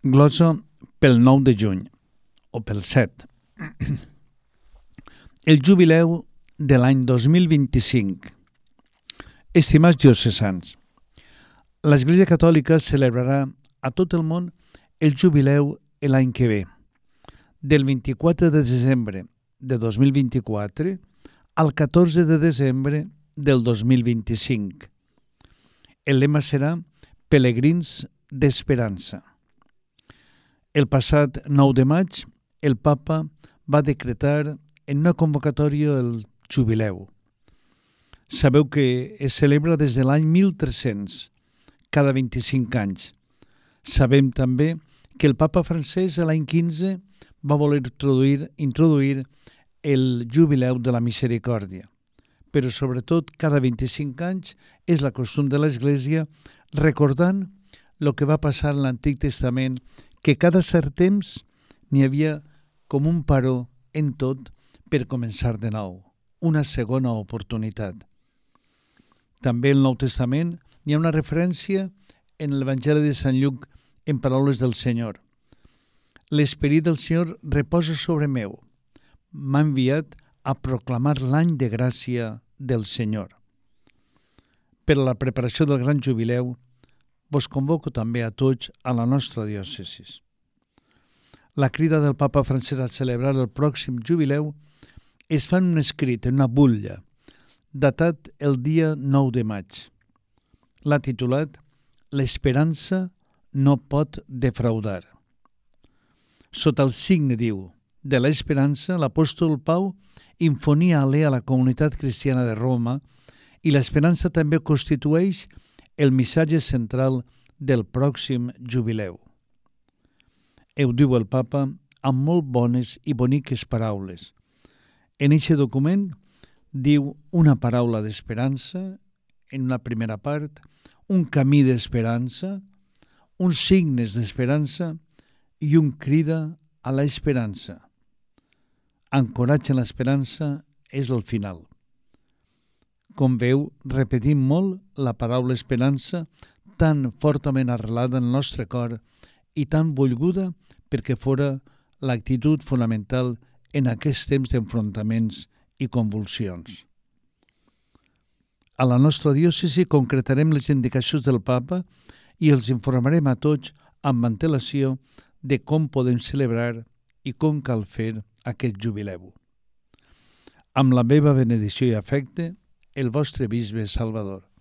Glosa pel 9 de juny, o pel 7. El jubileu de l'any 2025. Estimats diocesans, l'Església Catòlica celebrarà a tot el món el jubileu l'any que ve, del 24 de desembre de 2024 al 14 de desembre del 2025. El lema serà Pelegrins d'Esperança. El passat 9 de maig, el Papa va decretar en una convocatòria el jubileu. Sabeu que es celebra des de l'any 1300, cada 25 anys. Sabem també que el Papa francès l'any 15 va voler introduir el jubileu de la misericòrdia. Però sobretot cada 25 anys és la costum de l'Església recordant el que va passar en l'Antic Testament, que cada cert temps n'hi havia com un paró en tot per començar de nou, una segona oportunitat. També al Nou Testament hi ha una referència en l'Evangeli de Sant Lluc en paraules del Senyor. L'Esperit del Senyor reposa sobre meu. M'ha enviat a proclamar l'any de gràcia del Senyor. Per a la preparació del gran jubileu, vos convoco també a tots a la nostra diòcesi. La crida del Papa francès a celebrar el pròxim jubileu es fa en un escrit, en una butlla, datat el dia 9 de maig. L'ha titulat «L'esperança no pot defraudar». Sota el signe, diu, de l'esperança, l'apòstol Pau infonia alè a la comunitat cristiana de Roma i l'esperança també constitueix el missatge central del pròxim jubileu. Ho diu el Papa amb molt bones i boniques paraules. En aquest document diu una paraula d'esperança, en una primera part, un camí d'esperança, uns signes d'esperança i un crida a l'esperança. Ancoratge en l'esperança és el final. Com veu, repetim molt la paraula esperança, tan fortament arrelada en el nostre cor i tan volguda perquè fora l'actitud fonamental en aquests temps d'enfrontaments i convulsions. A la nostra diòcesi concretarem les indicacions del Papa i els informarem a tots amb antelació de com podem celebrar i com cal fer aquest jubileu. Amb la meva benedicció i afecte, el vostre bisbe Salvador.